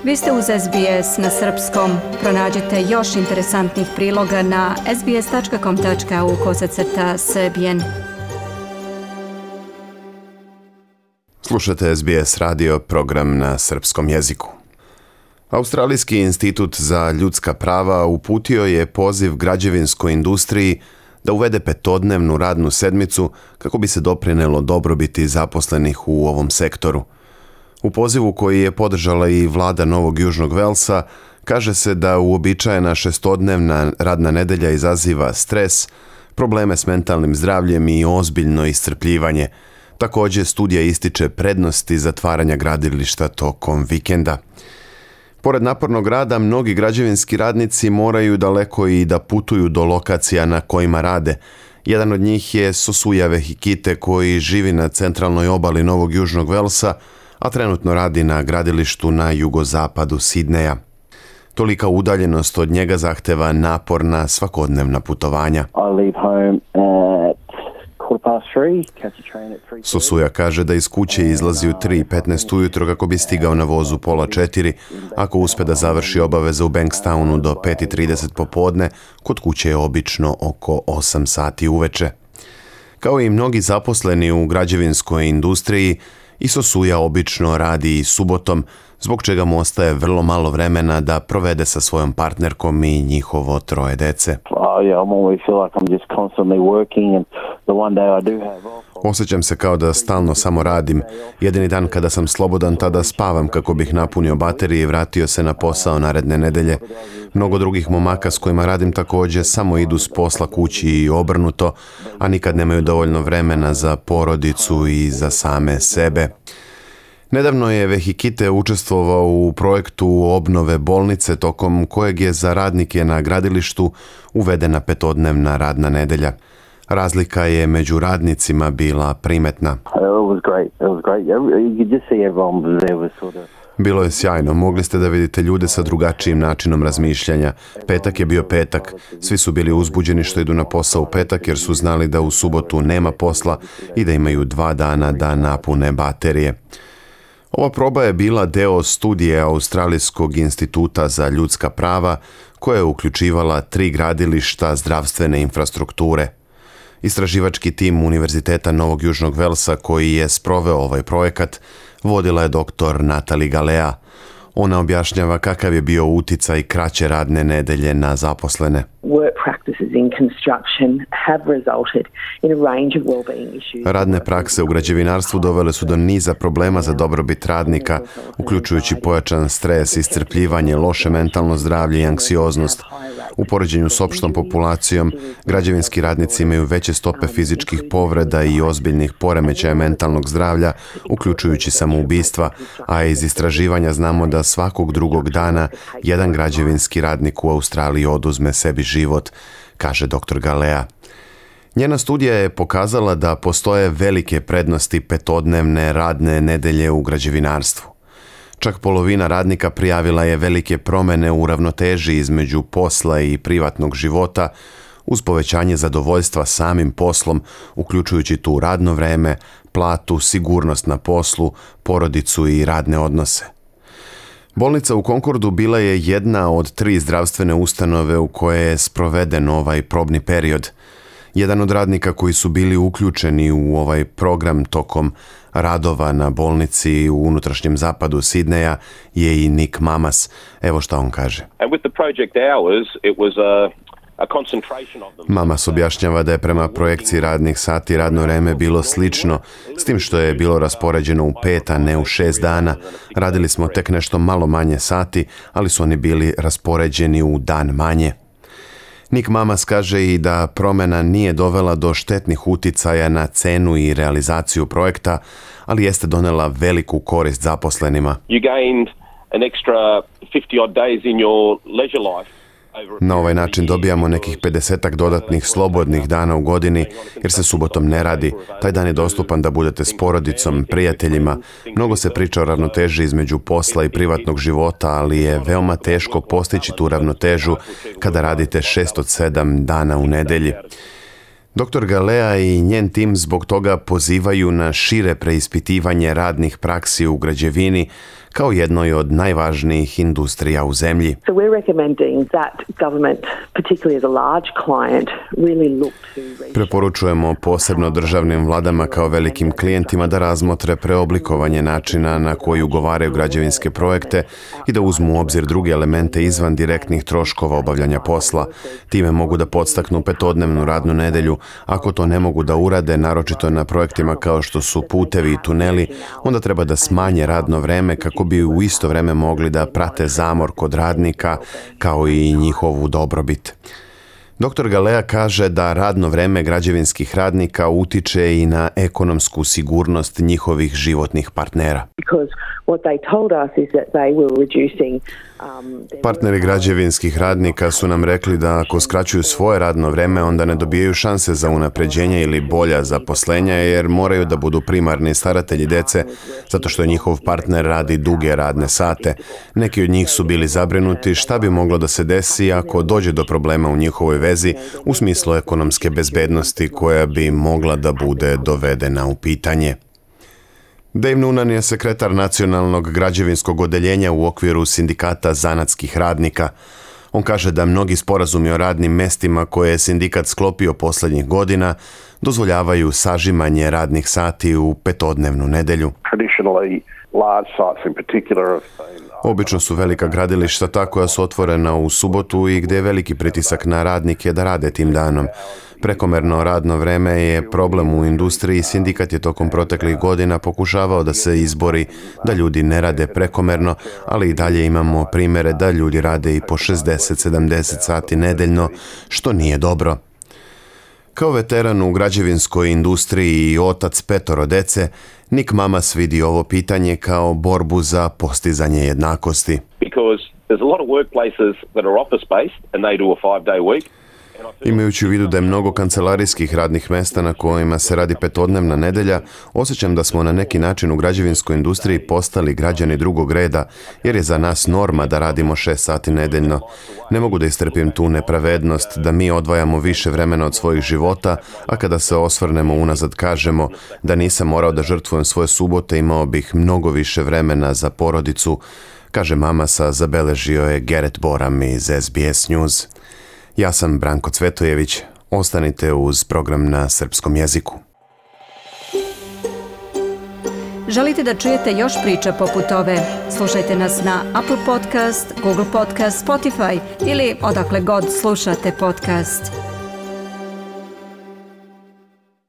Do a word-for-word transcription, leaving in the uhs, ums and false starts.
Vi ste uz S B S na srpskom. Pronađite još interesantnih priloga na sbs.com.au kosacrta srbijen. Slušate S B S radio, program na srpskom jeziku. Australijski institut za ljudska prava uputio je poziv građevinskoj industriji da uvede petodnevnu radnu sedmicu kako bi se doprinelo dobrobiti zaposlenih u ovom sektoru. U pozivu koji je podržala i vlada Novog Južnog Velsa, kaže se da uobičajena šestodnevna radna nedelja izaziva stres, probleme s mentalnim zdravljem i ozbiljno iscrpljivanje. Također, studija ističe prednosti zatvaranja gradilišta tokom vikenda. Pored napornog rada, mnogi građevinski radnici moraju daleko i da putuju do lokacija na kojima rade. Jedan od njih je Sosuja Vehikite, koji živi na centralnoj obali Novog Južnog Velsa, a trenutno radi na gradilištu na jugozapadu Sidneja. Tolika udaljenost od njega zahteva naporna svakodnevna putovanja. Sosuja kaže da iz kuće izlazi u tri petnaest ujutro kako bi stigao na vozu pola četiri, ako uspe da završi obaveze u Bankstownu do pet trideset popodne, kod kuće je obično oko osam sati uveče. Kao i mnogi zaposleni u građevinskoj industriji, i Sosuja obično radi i subotom, zbog čega mu ostaje vrlo malo vremena da provede sa svojom partnerkom i njihovo troje dece. Osjećam se kao da stalno samo radim. Jedini dan kada sam slobodan, tada spavam kako bih napunio baterije i vratio se na posao naredne nedelje. Mnogo drugih momaka s kojima radim također samo idu s posla kući i obrnuto, a nikad nemaju dovoljno vremena za porodicu i za same sebe. Nedavno je Vehikite učestvovao u projektu obnove bolnice tokom kojeg je za radnike na gradilištu uvedena petodnevna radna nedelja. Razlika je među radnicima bila primetna. Bilo je sjajno, mogli ste da vidite ljude sa drugačijim načinom razmišljanja. Petak je bio petak, svi su bili uzbuđeni što idu na posao u petak jer su znali da u subotu nema posla i da imaju dva dana da napune baterije. Ova proba je bila deo studije Australijskog instituta za ljudska prava koja je uključivala tri gradilišta zdravstvene infrastrukture. Istraživački tim Univerziteta Novog Južnog Velsa koji je sproveo ovaj projekat vodila je doktor Natalie Galea. Ona objašnjava kakav je bio uticaj kraće radne nedelje na zaposlene. Radne prakse u građevinarstvu dovele su do niza problema za dobrobit radnika, uključujući pojačan stres, iscrpljivanje, loše mentalno zdravlje i anksioznost. U poređenju s opštom populacijom, građevinski radnici imaju veće stope fizičkih povreda i ozbiljnih poremećaja mentalnog zdravlja, uključujući samoubistva, a iz istraživanja znamo da svakog drugog dana jedan građevinski radnik u Australiji oduzme sebi život, kaže doktor Galea. Njena studija je pokazala da postoje velike prednosti petodnevne radne nedelje u građevinarstvu. Čak polovina radnika prijavila je velike promjene u ravnoteži između posla i privatnog života uz povećanje zadovoljstva samim poslom, uključujući tu radno vreme, platu, sigurnost na poslu, porodicu i radne odnose. Bolnica u Concordu bila je jedna od tri zdravstvene ustanove u koje je sproveden ovaj probni period. Jedan od radnika koji su bili uključeni u ovaj program tokom radova na bolnici u unutrašnjem zapadu Sidneja je i Nick Mamas. Evo šta on kaže. Mamas objašnjava da je prema projekciji radnih sati radno vreme bilo slično, s tim što je bilo raspoređeno u pet, a ne u šest dana. Radili smo tek nešto malo manje sati, ali su oni bili raspoređeni u dan manje. Nick Mamas kaže i da promjena nije dovela do štetnih uticaja na cenu i realizaciju projekta, ali jeste donela veliku korist zaposlenima. Na ovaj način dobijamo nekih pedesetak dodatnih slobodnih dana u godini jer se subotom ne radi. Taj dan je dostupan da budete s porodicom, prijateljima. Mnogo se priča o ravnoteži između posla i privatnog života, ali je veoma teško postići tu ravnotežu kada radite šest od sedam dana u nedelji. doktor Galea i njen tim zbog toga pozivaju na šire preispitivanje radnih praksi u građevini kao jednoj od najvažnijih industrija u zemlji. So we're recommending that government, particularly as a large client, really look to... Preporučujemo posebno državnim vladama kao velikim klijentima da razmotre preoblikovanje načina na koji ugovaraju građevinske projekte i da uzmu u obzir druge elemente izvan direktnih troškova obavljanja posla. Time mogu da podstaknu petodnevnu radnu nedelju. Ako to ne mogu da urade, naročito na projektima kao što su putevi i tuneli, onda treba da smanje radno vreme kako bi u isto vreme mogli da prate zamor kod radnika kao i njihovu dobrobit. Doktor Galea kaže da radno vreme građevinskih radnika utiče i na ekonomsku sigurnost njihovih životnih partnera. Partneri građevinskih radnika su nam rekli da ako skraćuju svoje radno vreme, onda ne dobijaju šanse za unapređenje ili bolja zaposlenja, jer moraju da budu primarni staratelji dece, zato što njihov partner radi duge radne sate. Neki od njih su bili zabrinuti šta bi moglo da se desi ako dođe do problema u njihovoj vezi u smislu ekonomske bezbednosti koja bi mogla da bude dovedena u pitanje. Dave Noonan je sekretar nacionalnog građevinskog odeljenja u okviru sindikata zanatskih radnika. On kaže da mnogi sporazumi o radnim mestima koje je sindikat sklopio posljednjih godina dozvoljavaju sažimanje radnih sati u petodnevnu nedelju. Obično su velika gradilišta ta koja su otvorena u subotu i gdje je veliki pritisak na radnike da rade tim danom. Prekomerno radno vreme je problem u industriji. Sindikat je tokom proteklih godina pokušavao da se izbori da ljudi ne rade prekomerno, ali i dalje imamo primjere da ljudi rade i po šezdeset sedamdeset sati nedeljno, što nije dobro. Kao veteran u građevinskoj industriji i otac petoro dece, Nick Mamas vidi ovo pitanje kao borbu za postizanje jednakosti. Imajući u vidu da je mnogo kancelarijskih radnih mesta na kojima se radi petodnevna nedelja, osjećam da smo na neki način u građevinskoj industriji postali građani drugog reda, jer je za nas norma da radimo šest sati nedeljno. Ne mogu da istrpim tu nepravednost da mi odvajamo više vremena od svojih života, a kada se osvrnemo unazad kažemo da nisam morao da žrtvujem svoje subote, imao bih mnogo više vremena za porodicu, kaže Mamasa, zabeležio je Gerrit Boram iz S B S News. Ja sam Branko Cvetojević. Ostanite uz program na srpskom jeziku. Želite da čujete još priča poput ove? Slušajte nas na Apple Podcast, Google Podcast, Spotify ili odakle god slušate podcast.